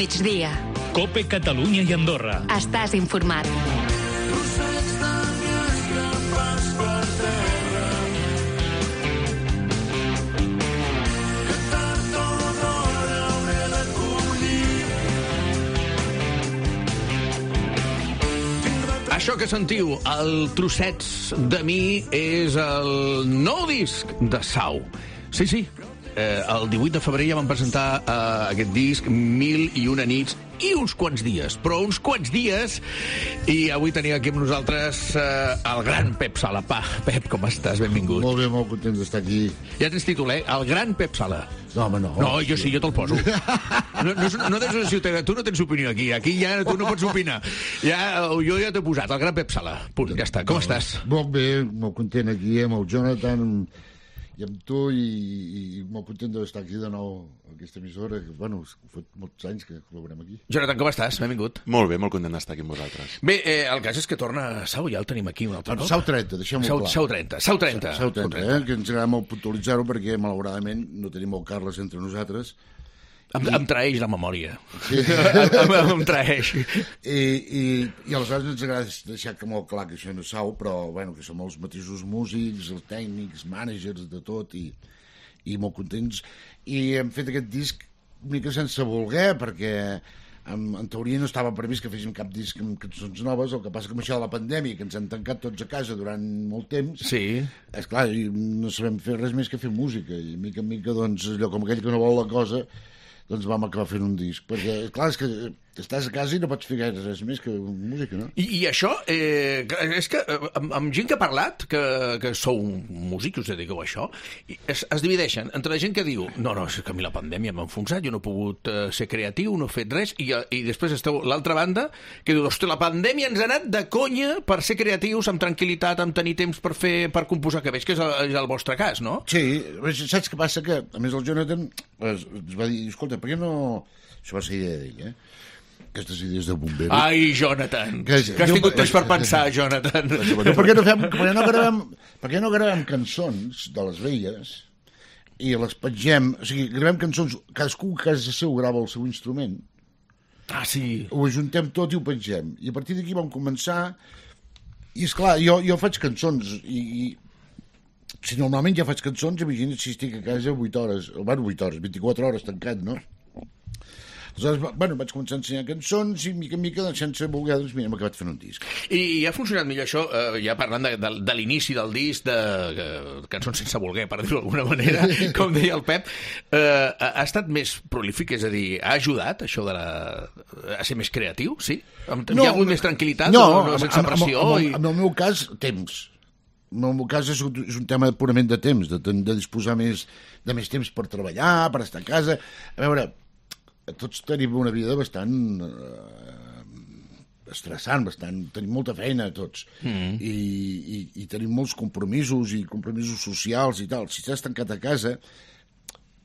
migdia. COPE Catalunya i Andorra. Estàs informat. Això que sentiu, el Trossets de mi, és el nou disc de Sau. Sí. El 18 de febrer ja van presentar aquest disc, 1001 nits i uns quants dies, però uns quants dies, i avui tenim aquí amb nosaltres el gran Pep Sala. Pep, com estàs? Benvingut. Molt bé, molt content d'estar aquí. Ja tens títol, el gran Pep Sala. No, home, no. No, jo sí, jo te'l poso. No tens una ciutat, tu no tens opinió aquí ja tu no pots opinar. Jo ja t'he posat, el gran Pep Sala. Punt, ja està. Com estàs? Molt bé, molt content aquí amb el Jonathan i amb tu, i molt content d'estar aquí de nou a aquesta emissora, que, bueno, fa molts anys que col·laborem aquí. Jonathan, com estàs? Benvingut. Molt bé, molt content d'estar aquí amb vosaltres. Bé, el cas és que torna Sau, ja el tenim aquí un altre cop. Sau 30, deixem-ho clar. Sau 30, que ens agrada molt puntualitzar-ho, perquè malauradament no tenim el Carles entre nosaltres. Em traeix la memòria. Sí. Em traeix. I aleshores ens agrada deixar que molt clar que això no és Sau, però bueno, que som els mateixos músics, els tècnics, mànagers, de tot, i molt contents. I hem fet aquest disc una mica sense voler, perquè en teoria no estava previst que féssim cap disc amb cançons noves. El que passa que amb això de la pandèmia, que ens han tancat tots a casa durant molt temps, sí, esclar, no sabem fer res més que fer música, i mica en mica, doncs, allò com aquell que no vol la cosa, doncs vam acabar fent un disc, perquè, clar, és que estàs a casa i no pots fer gaire res més que música, no? I això, és que amb gent que ha parlat, que sou músics, us dediqueu a això, es divideixen entre la gent que diu no, és que a mi la pandèmia m'ha enfonsat, jo no he pogut ser creatiu, no he fet res, i després esteu l'altra banda, que diu, ostres, la pandèmia ens ha anat de conya per ser creatius, amb tranquil·litat, amb tenir temps per composar, que veig que és el vostre cas, no? Sí, saps què passa? Que, a més, el Jonathan ens va dir, escolta, per què no... Això va ser idea d'ell, aquestes idees de bomberos. Ai, Jonathan, que has tingut temps per pensar, Jonathan. Per què no gravem cançons de les velles i les pengem, o sigui, gravem cançons, cadascú a casa seu grava el seu instrument, sí, ho ajuntem tot i ho pengem, i a partir d'aquí vam començar, i esclar, jo faig cançons, i si normalment ja faig cançons, imagina't si estic a casa 8 hores, 24 hores tancat, no? Aleshores, bueno, vaig començar a ensenyar cançons i mica en mica, sense voler, doncs mira, hem acabat fent un disc. I ha funcionat millor això, ja parlant de l'inici del disc, de cançons sense voler, per dir-ho d'alguna manera, com deia el Pep, ha estat més prolífic, és a dir, ha ajudat això a ser més creatiu, sí? Hi ha hagut més tranquil·litat, sense pressió? En el meu cas, temps. En el meu cas és un tema purament de temps, de disposar de més temps per treballar, per estar a casa. A veure, tots tenim una vida bastant estressant, tenim molta feina tots, i tenim molts compromisos socials i tal. Si estàs tancat a casa,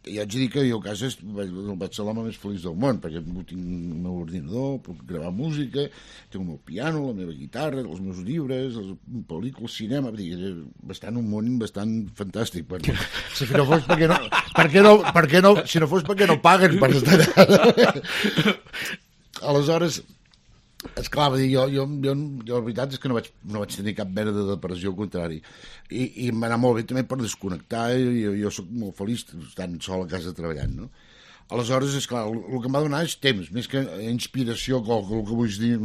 ja haig de dir que jo a casa vaig ser l'home més feliç del món, perquè tinc el meu ordinador, puc gravar música, tinc el meu piano, la meva guitarra, els meus llibres, les pel·lícules, cinema, bastant un món bastant fantàstic. Si no fos si no fos perquè no paguen per estar allà. Aleshores, esclar, jo la veritat és que no vaig tenir cap mena de depressió, al contrari, i m'ha anat molt bé també per desconnectar, jo soc molt feliç estant sol a casa treballant, no? Aleshores, esclar, el que em va donar és temps, més que inspiració, el que vull dir,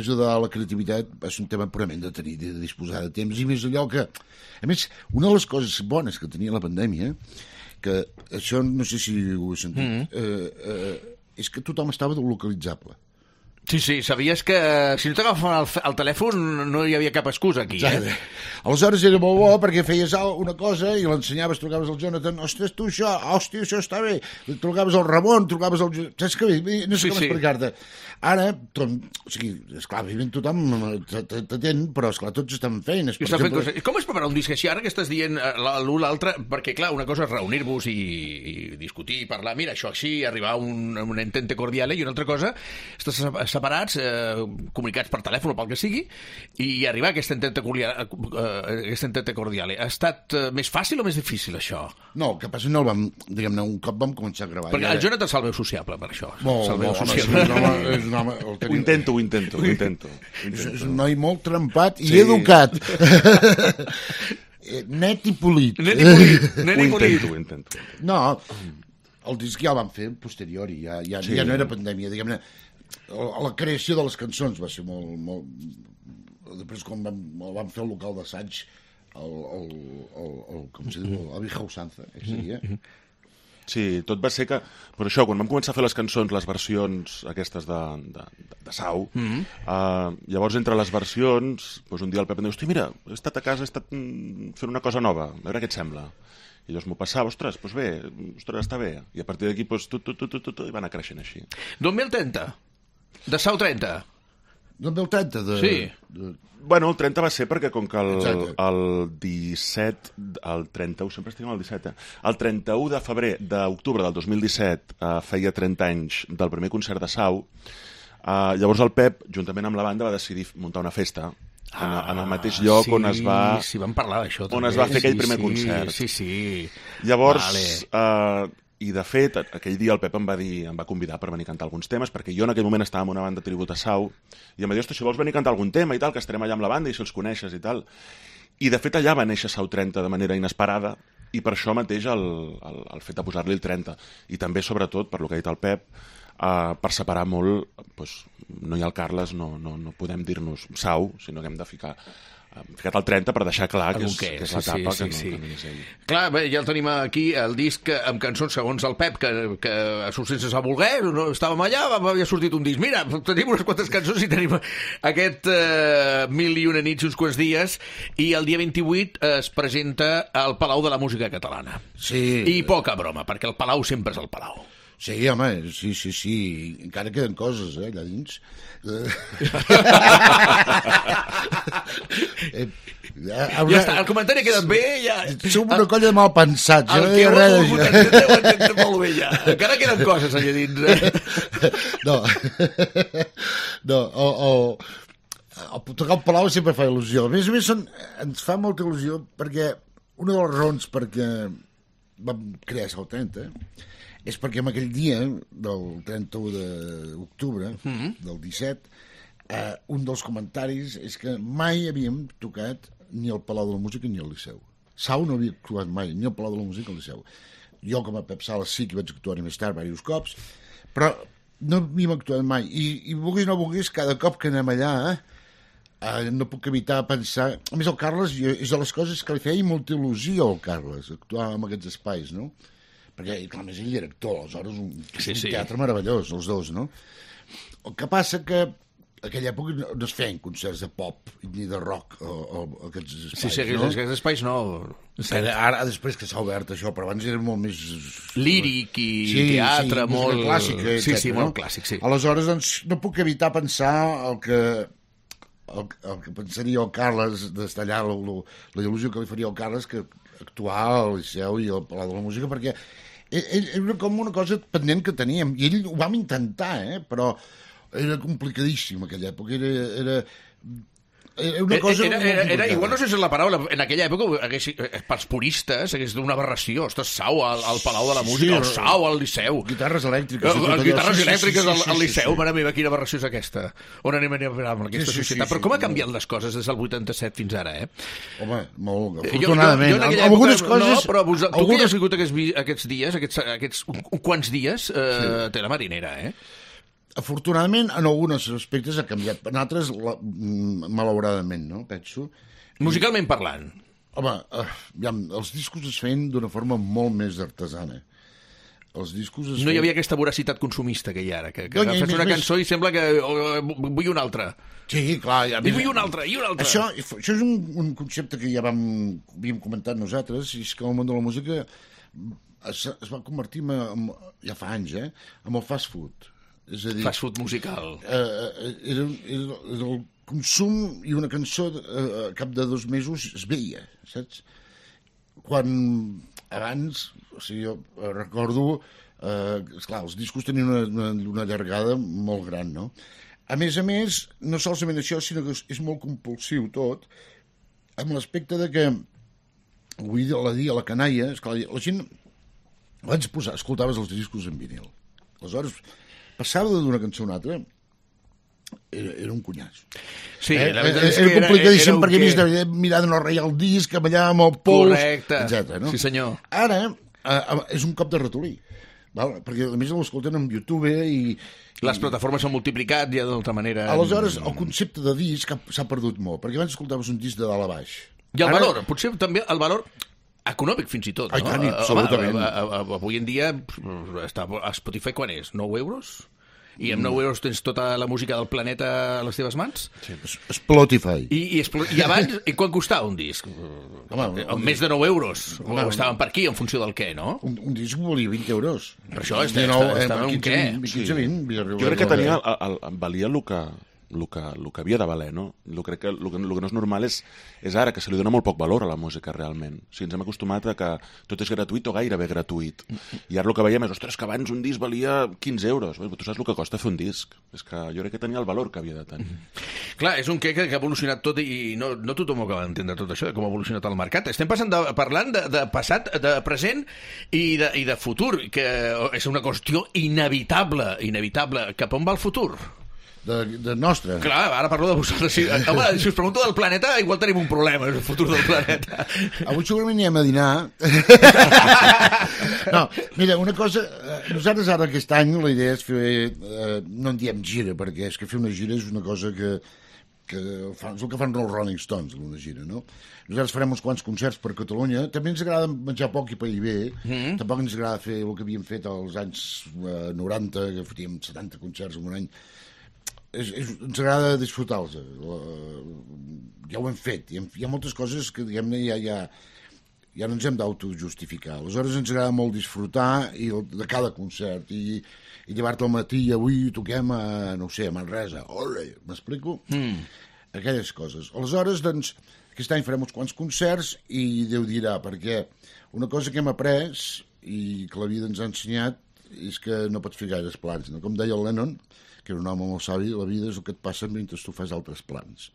ajudar a la creativitat, és un tema purament de tenir, de disposar de temps, i més allò que, a més, una de les coses bones que tenia la pandèmia, que això no sé si ho he sentit, és que tothom estava localitzable. Sí, sabies que si no t'agafaven el telèfon no hi havia cap excusa aquí, Aleshores era molt bo perquè feies una cosa i l'ensenyaves, trucaves al Jonathan, ostres, tu això, hòstia, això està bé, trucaves al Ramon, trucaves al... Saps què? No sé com explicar-te. Ara, o sigui, esclar, evidentment tothom t'atén, però esclar, tots estan feines. Per exemple... Com es prepara un disc així? Ara que estàs dient l'un l'altre, perquè clar, una cosa és reunir-vos i discutir, parlar, mira, això així, arribar a un entente cordiale, i una altra cosa, estàs separats, comunicats per telèfon o pel que sigui, i arribar a aquesta entente cordiale. Ha estat més fàcil o més difícil, això? No, el que passa no el vam, diguem-ne, un cop vam començar a gravar. Perquè el Jonathan se'l veu sociable, per això. És un home, Ho intento. És un noi molt trempat i educat. Net i polit. Ho intento. No, el disc ja el vam fer posteriori, ja no era pandèmia, diguem-ne. La creació de les cançons va ser molt... Després, quan vam fer el local d'assaig, com se diu, el Vieja Usanza, que seria... Sí, tot va ser que... Per això, quan vam començar a fer les cançons, les versions aquestes de Sau, llavors entre les versions, doncs un dia el Pep em diu, hosti, mira, he estat a casa, he estat fent una cosa nova, a veure què et sembla. I llavors m'ho passava, ostres, doncs bé, està bé. I a partir d'aquí, doncs, i va anar creixent així. 2030, de Sau 30. 2030, Sí. Bueno, el 30 va ser perquè com que el 17, el 31, sempre estic amb el 17, el 31 de febrer d'octubre del 2017 feia 30 anys del primer concert de Sau, llavors el Pep, juntament amb la banda, va decidir muntar una festa en el mateix lloc on es va... Sí, vam parlar d'això també. On es va fer aquell primer concert. Sí. Llavors... I, de fet, aquell dia el Pep em va convidar per venir a cantar alguns temes, perquè jo en aquell moment estava en una banda tribut a Sau, i em va dir, ostres, si vols venir a cantar algun tema i tal, que estarem allà amb la banda i si els coneixes i tal. I, de fet, allà va néixer Sau 30 de manera inesperada, i per això mateix el fet de posar-li el 30. I també, sobretot, per lo que ha dit el Pep, per separar molt, doncs, no hi ha el Carles, no podem dir-nos Sau, sinó que hem de ficat el 30 per deixar clar que és l'etapa que no és ell. Clar, bé, ja el tenim aquí, el disc amb cançons segons el Pep, que a surt sense sa voler, no, estàvem allà, havia sortit un disc. Mira, tenim unes quantes cançons i tenim aquest 1001 nits, uns quants dies, i el dia 28 es presenta al Palau de la Música Catalana. Sí. I poca broma, perquè el Palau sempre és el Palau. Sí, home, sí. Encara queden coses, allà dins. Ja està, el comentari ha quedat bé, ja... Som una colla de mal pensats. El que ho entén molt bé, ja. Encara queden coses allà dins. No, tocar el Palau sempre fa il·lusió. A més, ens fa molta il·lusió perquè una de les raons perquè vam crear Sau 30 és perquè en aquell dia del 31 d'octubre del 17 un dels comentaris és que mai havíem tocat ni al Palau de la Música ni al Liceu. Sau no havia actuat mai ni al Palau de la Música ni al Liceu. Jo com a Pep Sales sí que vaig actuar més tard diversos cops, però no havíem actuat mai i vulguis o no vulguis, cada cop que anem allà no puc evitar pensar... A més, el Carles és de les coses que li feia molta il·lusió al Carles, actuar en aquests espais, no? Perquè, clar, més ell era actor, aleshores un teatre meravellós, els dos, no? El que passa que en aquella època no es feien concerts de pop ni de rock a aquests espais, no? Aquests espais no. Ara, després que s'ha obert això, però abans era molt més... líric i teatre, molt... clàssic, sí, molt clàssic, sí. Aleshores, doncs, no puc evitar pensar el que pensaria el Carles d'estar allà, la il·lusió que li faria al Carles que actuar al Liceu i al Palau de la Música, perquè era com una cosa pendent que teníem, i ell ho vam intentar, però era complicadíssim aquella època, era una cosa... Igual no sé si és la paraula, en aquella època, pels puristes, hagués una aberració, ostres, Sau al Palau de la Música, el Sau al Liceu. Guitarres elèctriques. Guitarres elèctriques al Liceu, mare meva, quina aberració és aquesta. On anem a parar amb aquesta societat? Però com ha canviat les coses des del 87 fins ara, Home, molt, afortunadament. Algunes coses... No, però tu que has vingut aquests dies, aquests quants dies, té la marinera, Afortunadament, en alguns aspectes ha canviat. En altres, malauradament, no? Penso. Musicalment parlant. Home, els discos es feien d'una forma molt més artesana. No hi havia aquesta voracitat consumista que hi ha ara, que fes una cançó i sembla que vull una altra. Sí, clar. I vull una altra, i una altra. Això és un concepte que ja havíem comentat nosaltres, i és que el món de la música es va convertir, ja fa anys, en el fast food. És a dir, fast food musical. Era el consum i una cançó a cap de 2 mesos es veia, saps? Quan abans, o sigui, jo recordo, esclar, els discos tenien una llargada molt gran, no? A més, no solament això, sinó que és molt compulsiu tot, amb l'aspecte de que, vull dir, a la canalla, esclar, la gent abans escoltaves els discos en vinil. Aleshores, passava d'una cançó a una altra, era un cunyàs. Sí, era complicadíssim perquè havies de mirar de no ratllar el disc, allà amb el pols, etc. No? Sí, senyor. Ara és un cop de ratolí, val? Perquè a més l'escolten en YouTube i les plataformes s'han multiplicat ja d'altra manera. Aleshores, el concepte de disc s'ha perdut molt, perquè abans escoltaves un disc de dalt a baix. I el valor, potser també el valor econòmic fins i tot, no? Tant, absolutament. Avui en dia a Spotify quan és? 9 euros? I amb 9 euros tens tota la música del planeta a les teves mans? Sí, Spotify. I abans, i quan costava un disc? Més de 9 euros. O estaven per aquí, en funció del què, no? Un disc volia 20 euros. Per això estava un què? 15-20. Jo crec que valia el que havia de valer, no? Crec que el que no és normal és ara, que se li dona molt poc valor a la música, realment. O sigui, ens hem acostumat a que tot és gratuït o gairebé gratuït. I ara el que veiem és, ostres, que abans un disc valia 15 euros. Tu saps el que costa fer un disc? És que jo crec que tenia el valor que havia de tenir. Clar, és un què que ha evolucionat tot i no tothom acaba d'entendre tot això, de com ha evolucionat el mercat. Estem parlant de passat, de present i de futur, que és una qüestió inevitable. Cap on va el futur? De nostre. Clar, ara parlo de vosaltres. Home, si us pregunto del planeta, igual tenim un problema, és el futur del planeta. Avui segurament anem a dinar. No, mira, una cosa, nosaltres ara aquest any la idea és fer, no en diem gira, perquè és que fer una gira és una cosa que és el que fan els Rolling Stones, una gira, no? Nosaltres farem uns quants concerts per Catalunya. També ens agrada menjar poc i pair bé. Tampoc ens agrada fer el que havíem fet als anys 90, que faríem 70 concerts en un any. Ens agrada disfrutar-los. Ja ho hem fet. Hi ha moltes coses que, diguem-ne, ja no ens hem d'autojustificar. Aleshores ens agrada molt disfrutar de cada concert i llevar-te al matí i avui toquem a, no sé, a Manresa. Ole, m'explico? Aquelles coses. Aleshores, doncs, aquest any farem uns quants concerts i Déu dirà, perquè una cosa que hem après i que la vida ens ha ensenyat és que no pots fer gaires plans. No? Com deia el Lennon, que era un home molt savi, la vida és el que et passa mentre tu fas altres plans.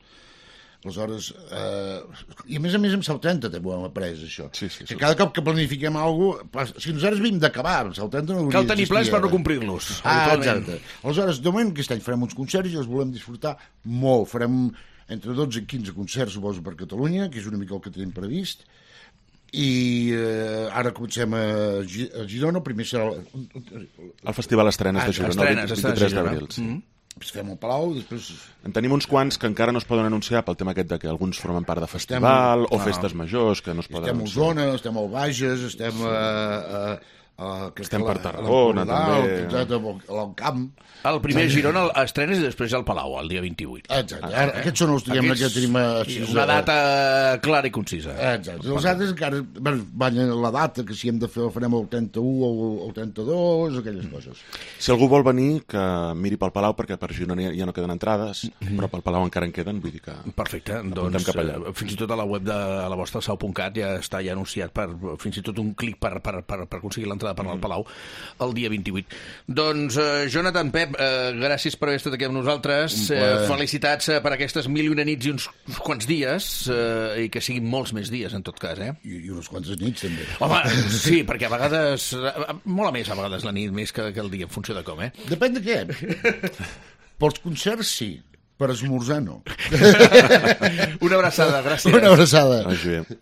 Aleshores, i a més em Sau 30 també ho hem après, això. Sí, que cada cop que planifiquem alguna cosa, si nosaltres vim d'acabar, en Sau 30 no hauria cal tenir plans per no complir-los. Exacte. Aleshores, de moment aquest any farem uns concerts i els volem disfrutar molt. Farem entre 12 i 15 concerts, suposo, per Catalunya, que és una mica el que tenim previst, i ara comencem a Girona. Primer serà el Festival Estrenes de Girona, el 23 d'abril. Després fem el Palau, després... En tenim uns quants que encara no es poden anunciar pel tema aquest de que alguns formen part de festival o festes majors que no es poden anunciar. Estem a Osona, estem al Bages, estem per Tarragona, també. Exacte, al Camp. El primer Girona estrenes i després al Palau, el dia 28. Exacte. Aquests són els que tenim... Una data clara i concisa. Exacte. Els altres encara van a la data, que si hem de fer el farem el 31 o el 32, aquelles coses. Si algú vol venir, que miri pel Palau, perquè per Girona ja no queden entrades, però pel Palau encara en queden, vull dir que... Perfecte. Doncs fins i tot a la web de la vostra, sau.cat, ja està anunciat per fins i tot un clic per aconseguir l'entrada per al Palau el dia 28. Doncs, Jonathan, Pep, gràcies per haver estat aquí amb nosaltres. Felicitats per aquestes 1001 nits i uns quants dies, i que siguin molts més dies, en tot cas, eh? I unes quantes nits, també. Home, sí, perquè a vegades... Molt a més, a vegades, la nit, més que el dia, en funció de com, eh? Depèn de què. Pels concerts, sí. Per esmorzar, no. Una abraçada, gràcies. Una abraçada. Vagi bé.